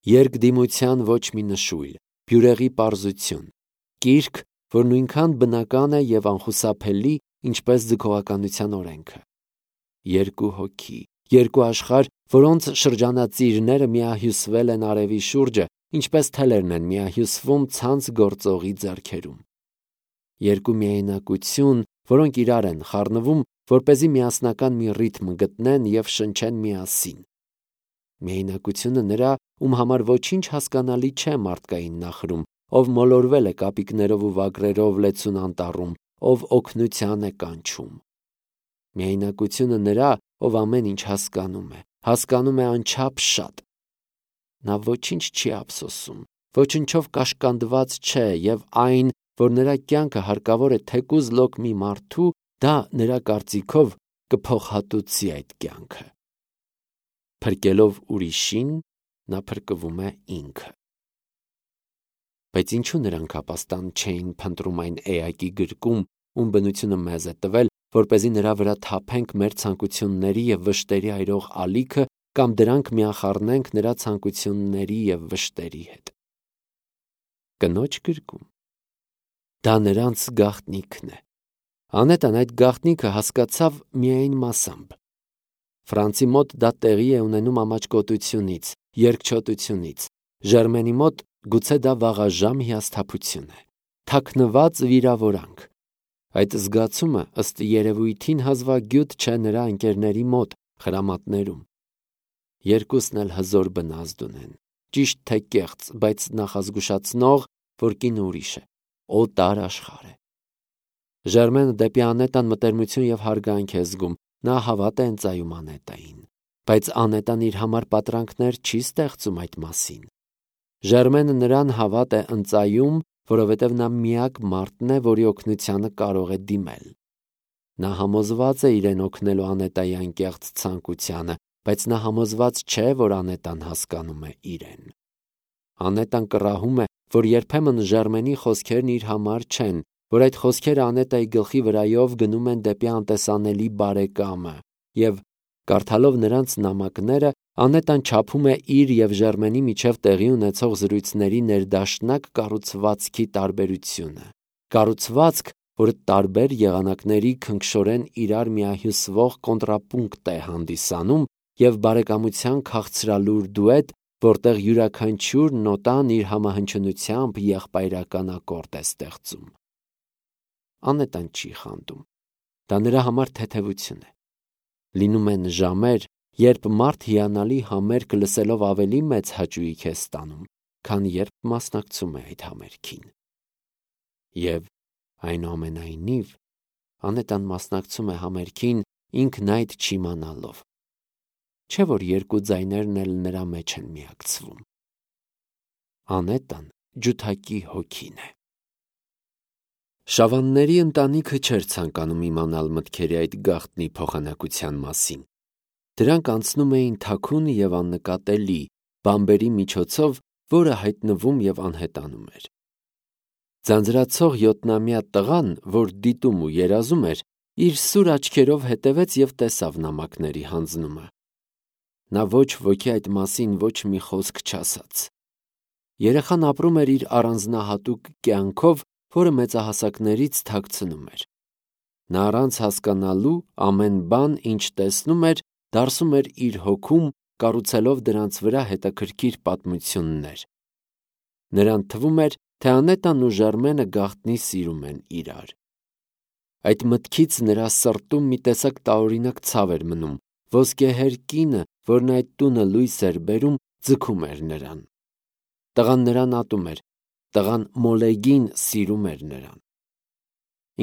երկդիմության ոչ մի նշույլ, բյուրեղի պարզություն, կիրք, որ նույնքան բնական է և անխուսափելի, ինչպես ձգողականության օրենքը։ Երկու հոգի, երկու աշխարհ, որոնց շրջանածիրները միահյուսվել են արևի շուրջը, ինչպես թելերն են միահյուսվում ցանց գործողի ձեռքերում։ Երկու միայնակություն, որոնք իրար են խառնվում, որպեսզի միասնական մի ռիթմ գտնեն և շնչեն միասին։ Միայնակությունը նրա, ում համար ոչինչ հասկանալի չէ մարդկային նախրում, ով մոլորվել է կապիկներով ու վագրերով լեցուն անտառում, ով օգնության է կանչում։ Միայնակությունը նրա, ով ամեն ինչ հասկանում է անչափ շատ։ Նա ոչինչ չի ափսոսում, ոչնչով կաշկանդված չէ և այն, որ նրա կյանքը հարկավոր է թեկուզ լոկ մի մարդու, դա նրա կարծիքով կփոխհատուցի այդ կյանքը։ Փրկելով ուրիշին, նա փրկվում է ինքը։ Բայց ինչու նրանք ապաստան չէին փնտրում այն էակի գրկում, ում բնությունը մեզ է տվել, որպեսզի նրա վրա թափենք մեր ցանկությունների և վշտերի այրող ալիքը կամ դրանք միախառնենք նրա ցանկությունների և վշտերի հետ։ Կնոջ գրկում։ Դա նրանց գաղտնիքն է։ Անետան այդ գաղտնիքը հասկացավ միայն մասամբ։ Ֆրանցի մոտ դա տեղի է ունենում ամաչկոտությունից, երկչոտությունից, Ժերմենի մոտ գուցե դա վաղաժամ հիասթափություն է, թաքնված վիրավորանք։ Այդ զգացումը ըստ երևույթին հազվագյուտ չէ նրա ընկերների մոտ, խրամատներում։ Երկուսն էլ հզոր բնազդ ունեն, ճիշտ թե կեղծ, բայց նախազգուշացնող, որ կինը ուրիշ է, օտար աշխարհ է։ Ժերմենը դեպի Անետան մտերմություն և հարգանք է զգում, նա հավատ է ընծայում Անետային, բայց Անետան իր համար պատրանքներ չի ստեղծում այդ մասին։ Ժերմենը նրան հավատ է ընծայում, որովհետև նա միակ մարդն է, որի օգնությանը կարող է դիմել։ Նա համոզված է իրեն օգնելու Անետայի անկեղծ ցանկությանը, բայց նա համոզված չէ, որ Անետան հասկանում է իրեն։ Անետան կռահում է, որ երբեմն Ժերմենի խոսքերն իր համար չեն, որ այդ խոսքերը Անետայի գլխի վրայով գնում են դեպի անտեսանելի բարեկամը, և կարդալով նրանց նամակները, Անետան չափում է իր և Ժերմենի միջև տեղի ունեցող զրույցների ներդաշնակ կառուցվածքի տարբերությունը։ Կառուցվածք, որը տարբեր եղանակների քնքշորեն իրար միահյուսվող կոնտրապունկտ է հանդիսանում և բարեկամության քաղցրալուր դուետ, որտեղ յուրաքանչյուր նոտան իր համահնչյունությամբ եղբայրական ակորդ է ստեղծում։ Անետան չի խանդում։ Դա նրա համար թեթևություն է։ Լինում են ժամեր, երբ մարդ հիանալի համերգ լսելով ավելի մեծ հաճույք է ստանում, քան երբ մասնակցում է այդ համերգին։ Եվ այնուամենայնիվ Անետան մասնակցում է համերգին ինքն այդ չիմանալով։ Չէ՞ որ երկու ձայներն էլ նրա մեջ են միակցվում։ Անետան ջութակի հոգին է։ Շավանների ընտանիքը չէր ցանկանում իմանալ մտքերի այդ գաղտնի փոխանակության մասին։ Դրանք անցնում էին թաքուն և աննկատելի, բամբերի միջոցով, որը հայտնվում և անհետանում էր։ Ձանձրացող 7-ամյա տղան, որ դիտում ու երազում էր, իր սուր աչքերով հետևեց և տեսավ նամակների հանձնումը։ Նա ոչ ոքի այդ մասին ոչ մի խոսք չասաց։ Երեխան ապրում էր իր առանձնահատուկ կյանքով, որը մեծահասակներից թաքցնում էր։ Նա առանց հասկանալու ամեն բան, ինչ տեսնում էր, դարսում էր իր հոգում, կառուցելով դրանց վրա հետաքրքիր պատմություններ։ Նրան թվում էր, թե Անետան ու Ժերմենը գաղտնի սիրում են իրար։ Այդ մտքից նրա սրտում մի տեսակ տարօրինակ ցավ էր մնում, ոսկեհեր կինը, որն այդ տունը լույս էր բերում, ձգում էր նրան։ Տղան նրան ատում էր, տղան Մոլեգին սիրում էր նրան։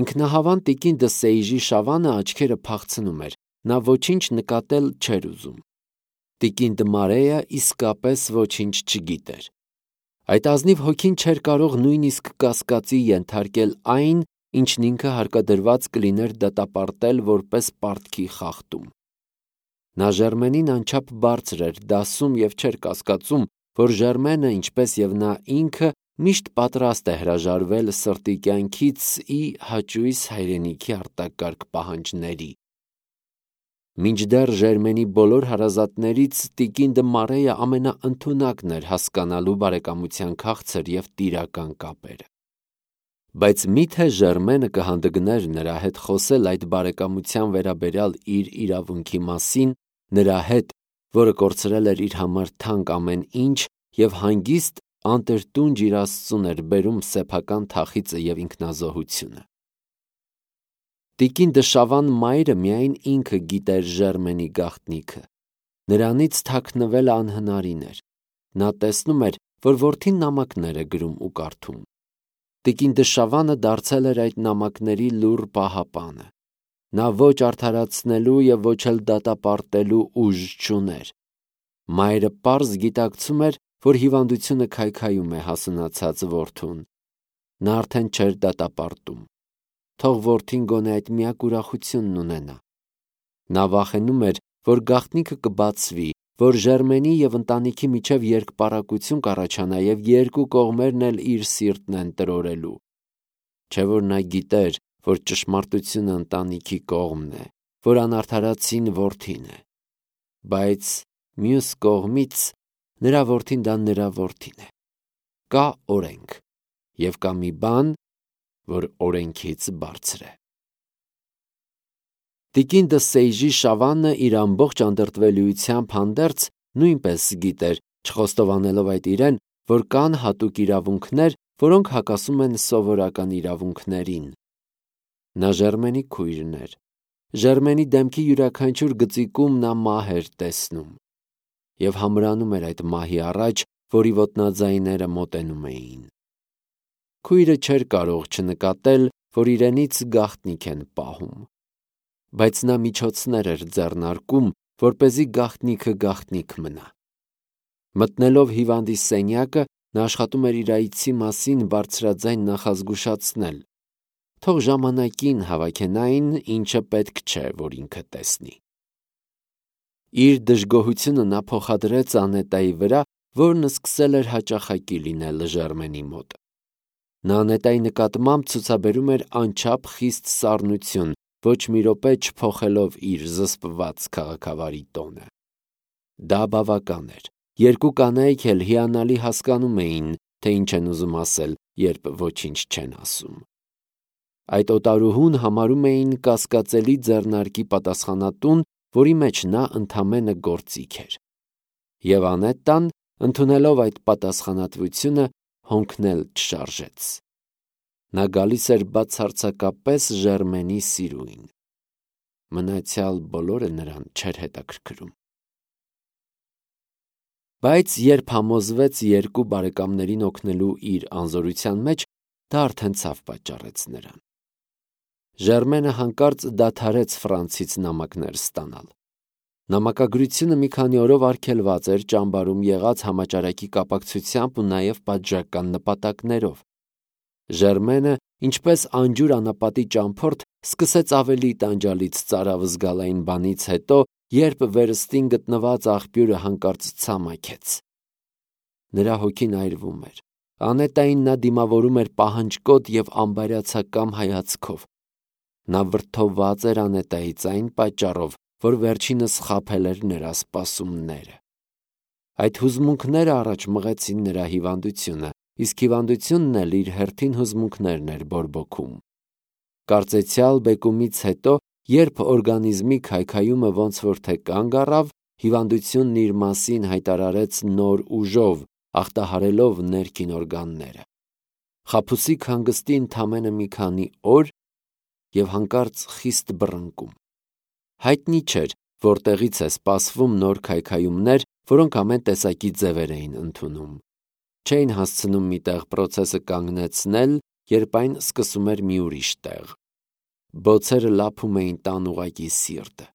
Ինքնահավան տիկին Դսեիժի Շավանը աչքերը փախցնում էր, նա ոչինչ նկատել չէր ուզում։ Տիկին Դմարեյը իսկապես ոչինչ չգիտեր։ Այդ ազնիվ հոգին չէր կարող նույնիսկ կասկածի ենթարկել այն, ինչն ինքը հարկադրված կլիներ դատապարտել որպես պարտքի խախտում։ Նա Ժերմենին անչափ բարձր էր դասում և չէր կասկածում, որ Ժերմենը, ինչպես և նա ինքը, միշտ պատրաստ է հրաժարվել սրտի կյանքից ի հաճույս հայրենիքի արտակարգ պահանջների։ Մինչդեռ Ժերմենի բոլոր հարազատներից տիկին դը Մարեյը ամենաընդունակն էր հասկանալու բարեկամության քաղցր և տիրական կապերը։ Բայց միթե Ժերմենը կհանդգներ նրա հետ խոսել այդ բարեկամության վերաբերյալ իր իրավունքի մասին, նրա հետ, որը կորցրել էր իր համար թանկ ամեն ինչ և հանգիստ անտրտունջ իր Աստծուն էր բերում սեփական թախիծը և ինքնազոհությունը։ Տիկին դը Շավան մայրը միայն ինքը գիտեր Ժերմենի գաղտնիքը։ Նրանից թաքնվելը անհնարին էր։ Նա տեսնում էր, որ որդին նամակներ է գրում ու կարդում։ Տիկին դը Շավանը դարձել էր այդ նամակների լուռ պահապանը։ Նա ոչ արդարացնելու և ոչ էլ դատապարտելու ուժ չուներ։ Մայրը պարզ գիտակցում էր, որ հիվանդությունը քայքայում է հասունացած որդուն։ Նա արդեն չէր դատապարտում։ Թող որդին գոնե այդ միակ ուրախությունն ունենա։ Նա վախենում էր, որ գաղտնիքը կբացվի, որ Ժերմենի և ընտանիքի միջև երկպառակություն կառաջանա և երկու կողմերն էլ իր սիրտն են տրորելու։ Չէ՞ որ նա գիտեր, որ ճշմարտությունը ընտանիքի կողմն է, որ անարդարացին որդին է։ Բայց մյուս կողմից նրա որդին դա նրա որդին է։ Կա օրենք և կա մի բան, որ օրենքից բարձր է։ Տիկին դը Սեյժի Շավանը իր ամբողջ անդրդվելիությամբ հանդերձ նույնպես գիտեր, չխոստովանելով այդ իրեն, որ կան հատուկ իրավունքներ, որոնք հակասում են սովորական իրավունքներին։ Նա Ժերմենի քույրն էր։ Ժերմենի դեմքի յուրաքանչյուր գծիկում նա մահ էր տեսնում և համրանում էր այդ մահի առաջ, որի ոտնաձայները մոտենում էին։ Քույրը չէր կարող չնկատել, որ իրենից գաղտնիք են պահում։ Բայց նա միջոցներ էր ձեռնարկում, որպեսզի գաղտնիքը գաղտնիք մնա։ Մտնելով հիվանդի սենյակը, նա աշխատում էր իր այցի մասին բարձրաձայն նախազգուշացնել։ Թող ժամանակին հավաքեն այն, ինչը պետք չէ, որ ինքը տեսնի։ Իր դժգոհությունը նա փոխադրեց Անետայի վրա, որն սկսել էր հաճախակի լինել Ժերմենի մոտ։ Նա Անետայի նկատմամբ ցուցաբերում էր անչափ խիստ սառնություն, ոչ մի րոպե չփոխելով իր զսպված քաղաքավարի տոնը։ Դա բավական էր։ Երկու կանայք էլ հիանալի հասկանում էին, թե ինչ են ուզում ասել, երբ ոչինչ չեն ասում։ Այդ օտարուհուն համարում էին կասկածելի ձեռնարկի պատասխանատուն, որի մեջ նա ընդամենը գործիք էր։ Եվ Անետան, ընդունելով այդ պատասխանատվությունը, հոնքնել չշարժեց։ Նա գալիս էր բացարձակապես Ժերմենի սիրուին։ Մնացյալ բոլորը նրան չէր հետաքրքրում։ Բայց երբ համոզվեց երկու բարեկամներին օգնելու իր անզորության մեջ, դա արդեն ցավ պատճառեց նրան։ Ժերմենը հանկարծ դադարեց Ֆրանցից նամակներ ստանալ։ Նամակագրությունը մի քանի օրով արգելված էր ճամբարում եղած համաճարակի կապակցությամբ ու նաև պատժական նպատակներով։ Ժերմենը, ինչպես անջուր անապատի ճամփորդ, սկսեց ավելի տանջալից ծարավ զգալ այն բանից հետո, երբ վերստին գտնված աղբյուրը հանկարծ ցամաքեց։ Նրա հոգին այրվում էր։ Անետային նա դիմավորում էր պահանջկոտ և անբարյացակամ հայացքով։ Նա վրդովված էր Անետայից այն պատճառով, որ վերջինս խաբել էր նրա սպասումները։ Այդ հուզմունքները առաջ մղեցին նրա հիվանդությունը, իսկ հիվանդությունն էլ իր հերթին հուզմունքներն էր բորբոքում։ Կարծեցյալ բեկումից հետո, երբ օրգանիզմի քայքայումը ոնց որ թե կանգ առավ, հիվանդությունն իր մասին հայտարարեց նոր ուժով, ախտահարելով ներքին օրգանները։ Խաբուսիկ հանգստի ընդամենը մի քանի օր և հանկարծ խիստ բռնկում։ Հայտնի չէր, որտեղից է սպասվում նոր քայքայումներ, որոնք ամեն տեսակի ձևեր էին ընդունում։ Չէին հասցնում մի տեղ պրոցեսը կանգնեցնել, երբ այն սկսում էր մի ուրիշ տեղ։ Բոցերը լափում էին տան ուղղակի սիրտը։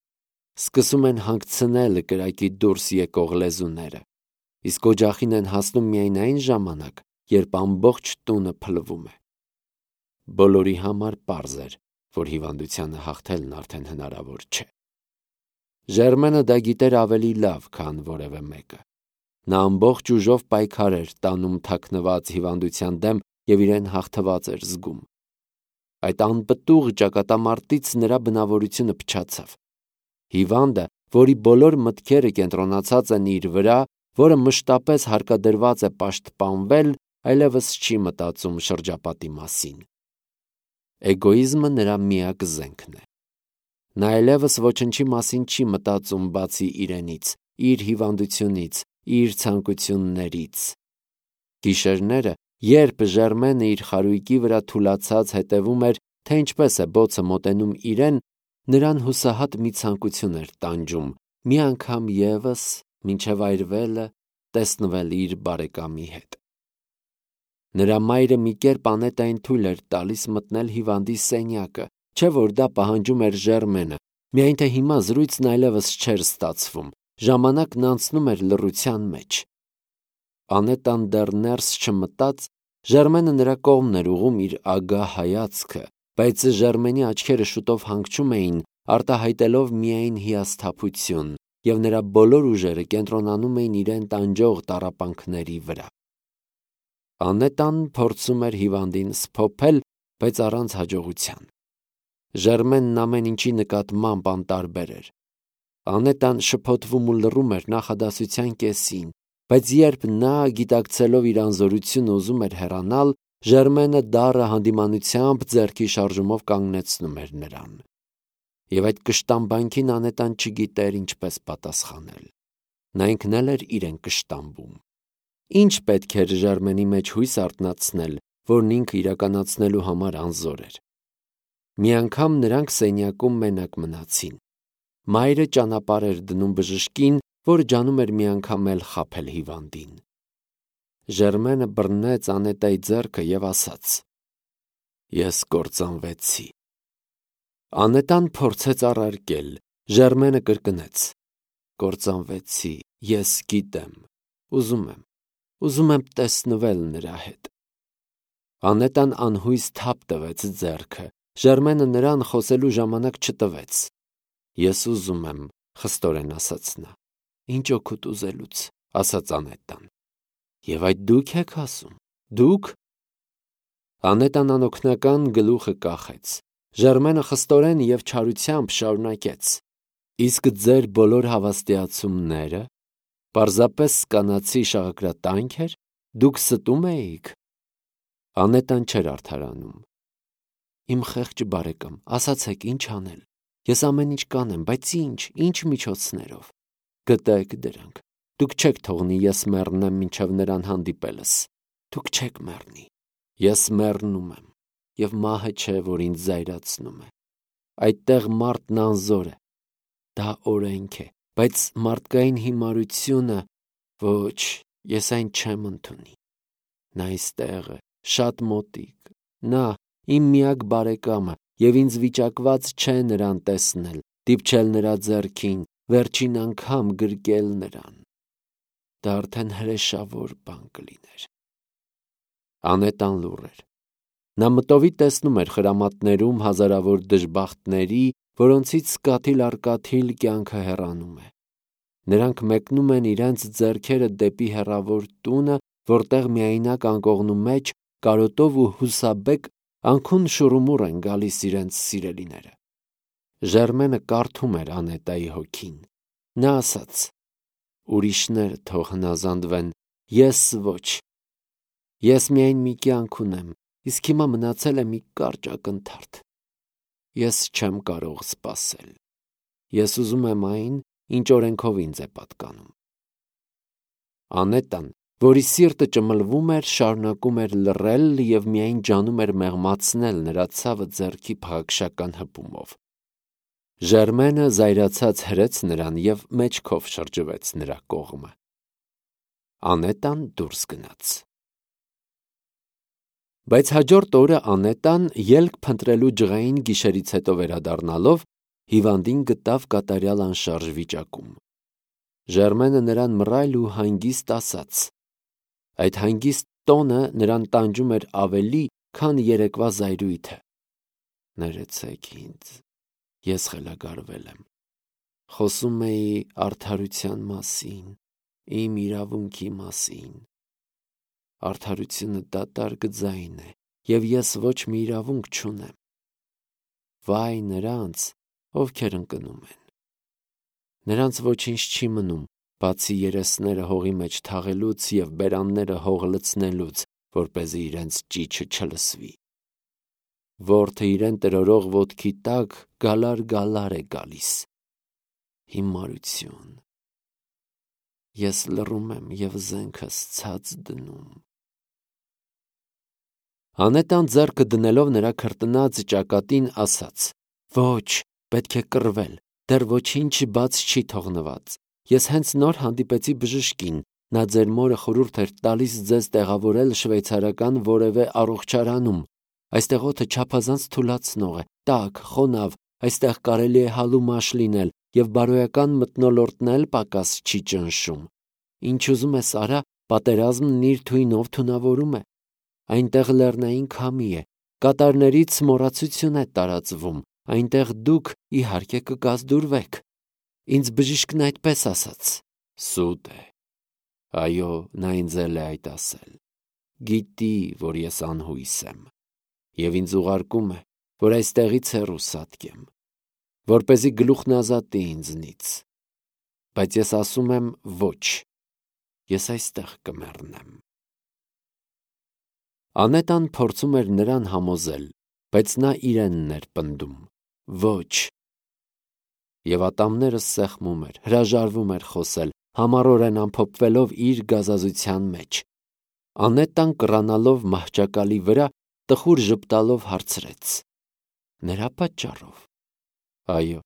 Սկսում են հանգցնել կրակի դուրս եկող լեզուները, իսկ օջախին են հասնում միայն այն ժամանակ, երբ ամբողջ տունը փլվում է։ Բոլորի համար պարզ էր, որ հիվանդությանը հաղթելն արդեն հնարավոր չէ։ Ժերմենը դա գիտեր ավելի լավ, քան որևէ մեկը։ Նա ամբողջ ուժով պայքար էր տանում թաքնված հիվանդության դեմ և իրեն հաղթված էր զգում։ Այդ անպտուղ ճակատամարտից նրա բնավորությունը փչացավ։ Հիվանդը, որի բոլոր մտքերը կենտրոնացած են իր վրա, որը մշտապես հարկադրված է պաշտպանվել, այլևս չի մտածում շրջապատի մասին։ Էգոիզմը նրա միակ զենքն է։ Նա այլևս ոչնչի մասին չի մտածում բացի իրենից, իր հիվանդությունից, իր ցանկություններից։ Գիշերները, երբ Ժերմենը իր խարույկի վրա թուլացած հետևում էր, թե ինչպես է բոցը մոտենում իրեն, նրան հուսահատ մի ցանկություն էր տանջում, մի անգամ ևս, մինչև այրվելը, տեսնվել իր բարեկամի հետ։ Նրա մայրը մի կերպ Անետային թույլ էր տալիս մտնել հիվանդի սենյակը, չէ որ դա պահանջում էր Ժերմենը, միայն թե հիմա զրույցն այլևս չէր ստացվում, ժամանակն անցնում էր լռության մեջ։ Անետան դեռ ներս չմտած, Ժերմենը նրա կողմն էր ուղղում իր ագահ հայացքը, բայց Ժերմենի աչքերը շուտով հանգչում էին, արտահայտելով միայն հիասթափություն, և նրա բոլոր ուժերը կենտրոնանում էին իրեն տանջող տառապանքների վրա։ Անետան փորձում էր հիվանդին սփոփել, բայց առանց հաջողության։ Ժերմենն ամեն ինչի նկատմամբ անտարբեր էր։ Անետան շփոթվում ու լռում էր նախադասության կեսին, բայց երբ նա, գիտակցելով իր անզորությունը, ուզում էր հեռանալ, Ժերմենը դառը հանդիմանությամբ ձեռքի շարժումով կանգնեցնում էր նրան։ Եվ այդ կշտամբանքին Անետան չգիտեր ինչպես պատասխանել։ Նա ինքն էլ էր իրեն կշտամբում։ Ինչ պետք էր Ժերմենի մեջ հույս արթնացնել, որն ինքը իրականացնելու համար անզոր էր։ Մի անգամ նրանք սենյակում մենակ մնացին։ Մայրը ճանապարհ էր դնում բժշկին, որը ջանում էր մի անգամ էլ խաբել հիվանդին։ Ժերմենը բռնեց Անետայի ձեռքը և ասաց. «Ես կործանվեցի»։ Անետան փորձեց առարկել, Ժերմենը կրկնեց. «Կործանվեցի, ես գիտեմ, ուզում եմ տեսնվել նրա հետ»։ Անետան անհույս թափ տվեց ձեռքը, Ժերմենը նրան խոսելու ժամանակ չտվեց։ «Ես ուզում եմ», խստորեն ասաց նա։ «Ինչ օգուտ ուզելուց», ասաց Անետան։ «Եվ այդ դուք եք ասում, դուք»։ Անետան անօգնական գլուխը կախեց։ Ժերմենը խստորեն և չարությամբ շարունակեց. «Իսկ ձեր բոլոր հավաստիացումները պարզապես կանացի շաղակրատա՞նք էր, դուք ստում էիք»։ Անետան չէր արդարանում։ «Իմ խեղճ բարեկամ, ասացեք ինչ անել։ Ես ամեն ինչ կանեմ, բայց ինչ միջոցներով։ Գտեք դրանք։ Դուք չեք թողնի ես մեռնեմ մինչև նրան հանդիպելս։ Դուք չեք մեռնի։ Ես մեռնում եմ, և մահը չէ, որ ինձ զայրացնում է։ Այդտեղ մարդն անզոր է։ Դա օրենք է, բայց մարդկային հիմարությունը, ոչ, ես այն չեմ ընդունի։ Նա այստեղ է, շատ մոտիկ, նա, իմ միակ բարեկամը, և ինձ վիճակված չէ նրան տեսնել, դիպչել նրա ձեռքին, վերջին անգամ գրկել նրան։ Դա արդեն հրեշավոր բան կլիներ»։ Անետան լուռ էր։ Նա մտովի տեսնում էր խրամատներում հազարավոր դժբախտների, որոնցից կաթիլ առ կաթիլ կյանքը հեռանում է։ Նրանք մեկնում են իրենց ձեռքերը դեպի հեռավոր տունը, որտեղ միայնակ անկողնու մեջ, կարոտով ու հուսաբեկ, անքուն շուռումուռ են գալիս իրենց սիրելիները։ Ժերմենը կարդում էր Անետայի հոգին։ Նա ասաց. «Ուրիշները թող հնազանդվեն, ես ոչ։ Ես միայն մի կյանք ունեմ, իսկ հիմա մնացել է մի կարճ ակնթարթ։ Ես չեմ կարող սպասել։ Ես ուզում եմ այն, ինչ օրենքով ինձ է պատկանում»։ Անետան, որի սիրտը ճմլվում էր, շարունակում էր լռել և միայն ջանում էր մեղմացնել նրա ցավը ձեռքի փաղաքշական հպումով։ Ժերմենը զայրացած հրեց նրան և մեջքով շրջվեց նրա կողմը։ Անետան դուրս գնաց։ Բայց հաջորդ օրը Անետան, ելք փնտրելու ջղային գիշերից հետո վերադառնալով, հիվանդին գտավ կատարյալ անշարժ վիճակում։ Ժերմենը նրան մռայլ ու հանգիստ ասաց։ Այդ հանգիստ տոնը նրան տանջում էր ավելի, քան երեկվա զայրույթը։ «Ներեցեք ինձ, ես խելագարվել եմ։ Խոսում էի արդարության մասին, իմ իրավունքի մասին։ Արդարությունը դատարկ ձայն է, և ես ոչ մի իրավունք չունեմ։ Վայ նրանց, ովքեր ընկնում են։ Նրանց ոչինչ չի մնում, բացի երեսները հողի մեջ թաղելուց և բերանները հող լցնելուց, որպեսզի իրենց ճիչը չլսվի։ Որդը իրեն տրորող ոտքի տակ գալար է գալիս։ Հիմարություն։ Ես լռում եմ և զենքս ցած դնում։ Անետան ձեռքը դնելով նրա քրտնած ճակատին ասաց. «Ոչ, պետք է կռվել, դեռ ոչինչ բաց չի թողնված։ Ես հենց նոր հանդիպեցի բժշկին, նա ձեր մորը խորհուրդ էր տալիս ձեզ տեղավորել շվեյցարական որևէ առողջարանում։ Այստեղ օդը չափազանց թուլացնող է, տաք, խոնավ, այստեղ կարելի է հալու մաշ լինել և բարոյական մթնոլորտն էլ պակաս չի ճնշում։ Ինչ ուզում ես արա, պատերազմն իր թույնով թունավորում է։ Այնտեղ լեռնային քամի է, կատարներից մոռացություն է տարածվում, այնտեղ դուք իհարկե կկազդուրվեք։ Ինձ բժիշկն այդպես ասաց»։ Սուտ է։ Այո, նա ինձ էլ է այդ ասել։ Գիտի, որ ես անհույս եմ, և ինձ ուղարկում է, որ այստեղից հեռու սատկեմ, որպեսզի գլուխն ազատի ինձնից։ Բայց ես ասում եմ ոչ, ես այստեղ կմեռնեմ։ Անետան փորձում էր նրան համոզել, բայց նա իրենն էր պնդում. ոչ։ Եվ ատամներս սեղմում էր, հրաժարվում էր խոսել, համառորեն ամփոփվելով իր գազազության մեջ։ Անետան կռանալով մահճակալի վրա, տխուր ժպտալով հարցրեց. Նրա պատճառով։ Այո,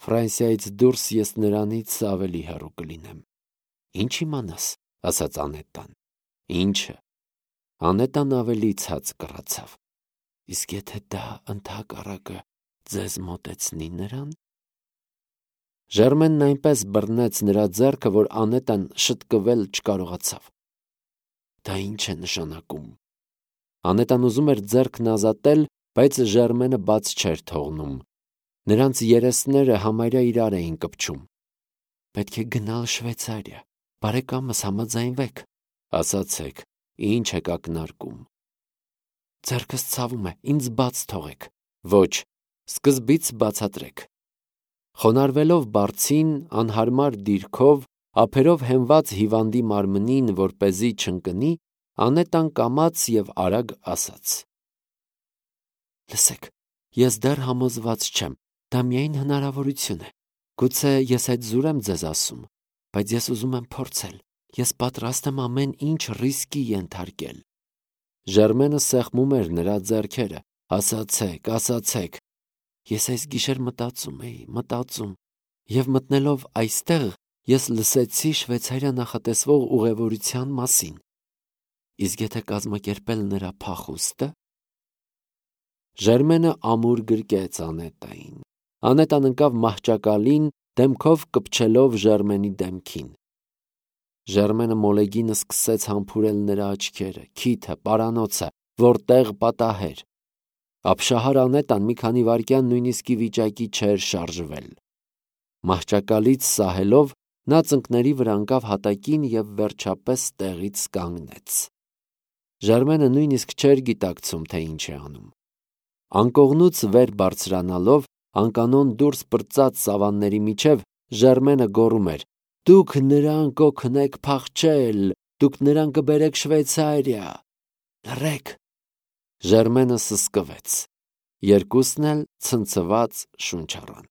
Ֆրանսիայից դուրս ես նրանից ավելի հեռու կլինեմ։ Ինչ իմանաս, ասաց Անետան։ Ինչը։ Անետան ավելի ցած կռացավ։ Իսկ եթե դա ընդհակառակը ձեզ մոտեցնի նրան։ Ժերմենն այնպես բռնեց նրա ձեռքը, որ Անետան շտկվել չկարողացավ։ Դա ինչ է նշանակում։ Անետան ուզում էր ձեռքն ազատել, բայց Ժերմենը բաց չէր թողնում։ Նրանց երեսները համարյա իրար էին կպչում։ Պետք է գնալ Շվեյցարիա, բարեկամս, համաձայնվեք։ Ասացեք, ինչ եք ակնարկում։ Ձեռքս ցավում է, ինձ բաց թողեք։ Ոչ, սկզբից բացատրեք։ Խոնարհվելով բարձին, անհարմար դիրքով, ափերով հենված հիվանդի մարմնին, որպեսզի չընկնի, Անետան կամաց և արագ ասաց. Լսեք, ես դեռ համոզված չեմ, դա միայն հնարավորություն է։ Գուցե ես այդ զուր եմ ձեզ ասում, բայց ես ուզում եմ փորձել։ Ես պատրաստ եմ ամեն ինչ ռիսկի ենթարկել։ Ժերմենը սեղմում էր նրա ձեռքերը։ Ասացեք։ Ես այս գիշեր մտածում, և մտնելով այստեղ, ես լսեցի Շվեյցարիա նախատեսվող ուղևորության մասին։ Իսկ եթե կազմակերպել նրա փախուստը։ Ժերմենը ամուր գրկեց Անետային։ Անետան ընկավ մահճակալին, դեմքով կպչելով Ժերմենի դեմքին։ Ժերմենը մոլեգինը սկսեց համբուրել նրա աչքերը, քիթը, պարանոցը, որտեղ պատահեր։ Ապշահար Անետան մի քանի վայրկյան նույնիսկ ի վիճակի չէր շարժվել։ Մահճակալից սահելով, նա ծնկների վրա ընկավ հատակին և վերջապես տեղից կանգնեց։ Ժերմենը նույնիսկ չէր գիտակցում, թե ինչ է անում։ Անկողնուց վեր բարձրանալով, անկանոն դուրս պրծած սավանների միջև, Ժերմենը գոռում էր. Դուք նրան կօգնեք փախչել, դուք նրան կբերեք Շվեյցարիա։ Լռեք։ Ժերմենը սսկվեց։ Երկուսն էլ ցնցված շունչ առան։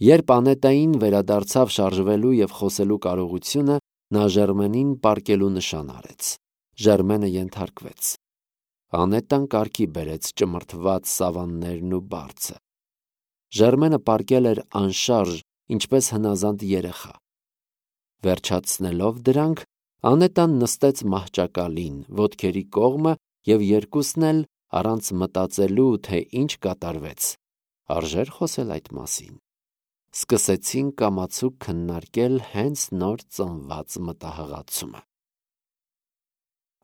Երբ Անետային վերադարձավ շարժվելու և խոսելու կարողությունը, նա Ժերմենին պառկելու նշան արեց։ Ժերմենը ենթարկվեց։ Անետան կարգի բերեց ճմրթված սավաններն ու բարձը։ Ժերմենը պառկել էր անշարժ, ինչպես հնազանդ երեխա։ Վերջացնելով դրանք, Անետան նստեց մահճակալին, ոտքերի կողմը և երկուսն էլ, առանց մտածելու, թե ինչ կատարվեց, արժեր խոսել այդ մասին, սկսեցին կամացուկ քննարկել հենց նոր ծնված մտահղացումը։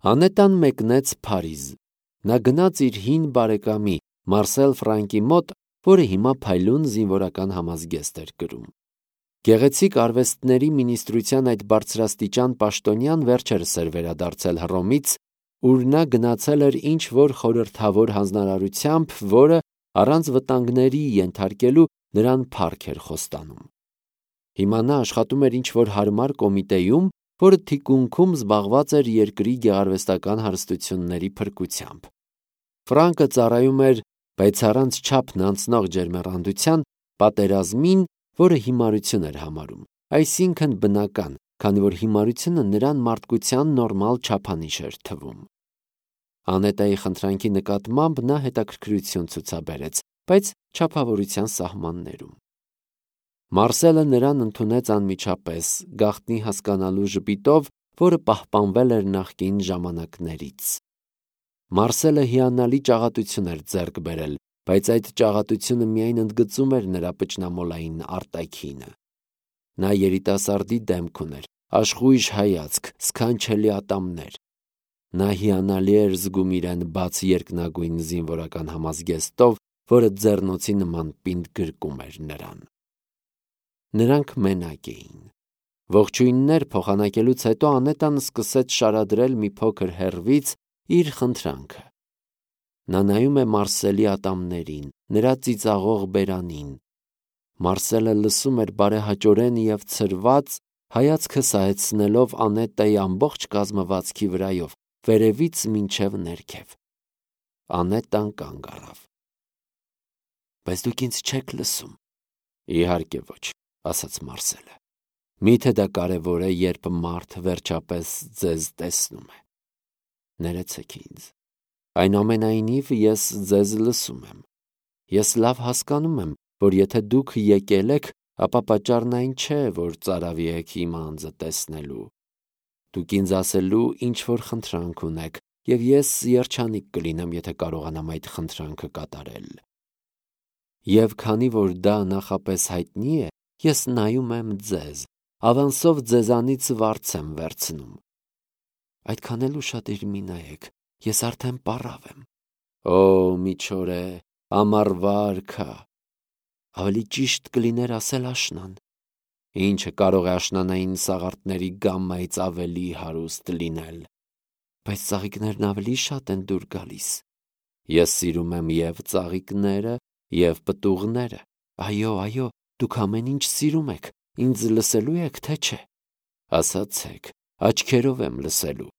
Անետան մեկնեց Փարիզ։ Նա գնաց իր հին բարեկամի Մարսել Ֆրանկի մոտ, որը հիմա փայլուն զինվորական համազգեստ էր կրում։ Գեղեցիկ արվեստների մինիստրության այդ բարձրաստիճան պաշտոնյան վերջերս էր վերադարձել Հռոմից, ուր նա գնացել էր ինչ-որ խորհրդավոր հանձնարարությամբ, որը, առանց վտանգների ենթարկելու, նրան փառք էր խոստանում։ Հիմա նա աշխատում էր ինչ-որ հարմար կոմիտեում, որը թիկունքում զբաղված էր երկրի գեղարվեստական հարստությունների փրկությամբ։ Ֆրանկը ծառայում էր, բայց առանց չափն անցնող ջերմեռանդության, պատերազմին, որը հիմարություն էր համարում, այսինքն բնական, քանի որ հիմարությունը նրան մարդկության նորմալ չափանիշ էր թվում։ Անետայի խնդրանքի նկատմամբ նա հետաքրքրություն ցուցաբերեց, բայց չափավորության սահմաններում։ Մարսելը նրան ընդունեց անմիջապես, գաղտնի հասկանալու ժպիտով, որը պահպանվել էր նախկին ժամանակներից։ Մարսելը հիանալի ճաղատություն էր ձեռք բերել, բայց այդ ճաղատությունը միայն ընդգծում էր նրա պճնամոլային արտաքինը։ Նա երիտասարդի դեմք ուներ, աշխույժ հայացք, սքանչելի ատամներ։ Նա հիանալի էր զգում իրեն բաց երկնագույն զինվորական համազգեստով, որը ձեռնոցի նման պինդ գրկում էր նրան։ Նրանք մենակ էին։ Ողջույններ փոխանակելուց հետո Անետան սկսեց շարադրել մի փոքր հեռվից իր խնդրանքը։ Նա նայում է Մարսելի ատամներին, նրա ծիծաղող բերանին։ Մարսելը լսում էր բարեհաճորեն և ցրված, հայացքը սահեցնելով Անետայի ամբողջ կազմվածքի վրայով, վերևից մինչև ներքև։ Անետան կանգ առավ։ Բայց դուք ինձ չեք լսում։ Իհարկե ոչ, ասաց Մարսելը։ Միթե դա կարևոր է, երբ մարդ վերջապես ձեզ տեսնում է։ Ներեցեք ինձ։ Այնուամենայնիվ ես ձեզ լսում եմ։ Ես լավ հասկանում եմ, որ եթե դուք եկել եք, ապա պատճառն այն չէ, որ ծարավի եք իմ անձը տեսնելու։ Դուք ինձ ասելու ինչ-որ խնդրանք ունեք, և ես երջանիկ կլինեմ, եթե կարողանամ այդ խնդրանքը կատարել։ Եվ քանի որ դա նախապես հայտնի է, ես նայում եմ ձեզ, ավանսով ձեզանից վարձ եմ վերցնում։ Այդքան էլ ուշադիր մի նայեք, ես արդեն պառավ եմ։ Օ, միջօրե, ամառվա արքա։ Ավելի ճիշտ կլիներ ասել աշնան։ Ինչը կարող է աշնանային սաղարթների գամմայից ավելի հարուստ լինել։ Բայց ծաղիկներն ավելի շատ են դուր գալիս։ Ես սիրում եմ և ծաղիկները, և պտուղները։ Այո, դուք ամեն ինչ սիրում եք, ինձ լսելու եք, թե չէ։ Ասացեք, աչքերով եմ լսելու։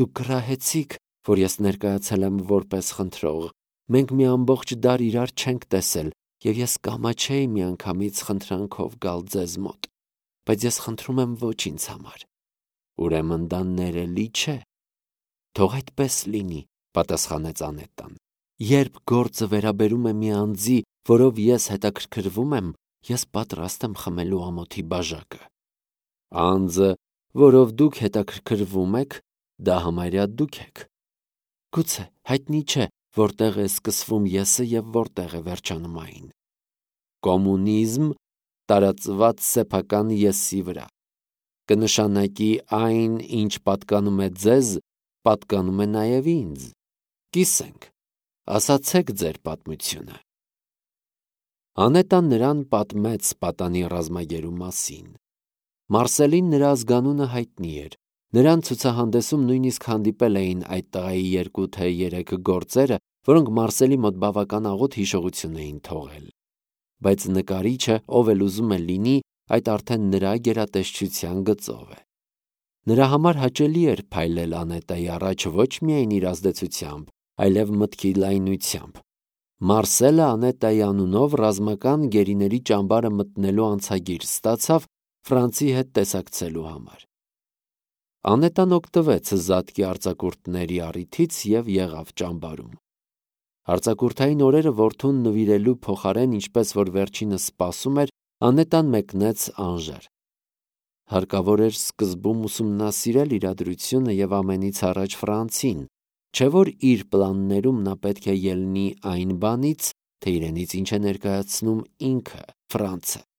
Դուք կռահեցիք, որ ես ներկայացել եմ որպես խնդրող։ Մենք մի ամբողջ դար իրար չենք տեսել, և ես կամաչեի միանգամից խնդրանքով գալ ձեզ մոտ, բայց ես խնդրում եմ ոչ ինձ համար։ Ուրեմն դա ներելի չէ։ Թող այդպես լինի, պատասխանեց Անետան։ Երբ գործը վերաբերում է մի անձի, որով ես հետաքրքրվում եմ, ես պատրաստ եմ խմելու ամոթի բաժակը։ Անձը, որով դուք հետաքրքրվում եք, դա համարյա դուք եք։ Գուցե հայտնի չէ, որտեղ է սկսվում եսը և որտեղ է վերջանում այն։ Կոմունիզմ տարածված սեփական եսի վրա կնշանակի այն, ինչ պատկանում է ձեզ, պատկանում է նաև ինձ։ Կիսենք, ասացեք ձեր պատմությունը։ Անետան նրան պատմեց պատանի ռազմագերու մասին։ Մարսելին նրա ազգանունը հայտնի էր։ Նրան ցուցահանդեսում նույնիսկ հանդիպել էին այդ տղայի 2 թե 3 գործերը, որոնք Մարսելի մոտ բավական աղոտ հիշողություն էին թողել։ Բայց նկարիչը, ով էլ ուզում է լինի, այդ արդեն նրա գերատեսչության գծով է։ Նրա համար հաճելի էր փայլել Անետայի առաջ ոչ միայն իր ազդեցությամբ, այլև մտքի լայնությամբ։ Մարսելը Անետայի անունով ռազմական գերիների ճամբարը մտնելու անցագիր ստացավ Ֆրանցի հետ տեսակցելու համար։ Անետան օգտվեց զատկի արձակուրդների առիթից և եղավ ճամբարում։ Արձակուրդային օրերը որդուն նվիրելու փոխարեն, ինչպես որ վերջինս սպասում էր, Անետան մեկնեց Անժեր։ Հարկավոր էր սկզբում ուսումնասիրել իրադրությունը և ամենից առաջ Ֆրանցին, չէ որ իր պլաններում նա պետք է ելնի այն բանից, թե իրենից ինչ է ներկայացնում ինքը, Ֆրանցը։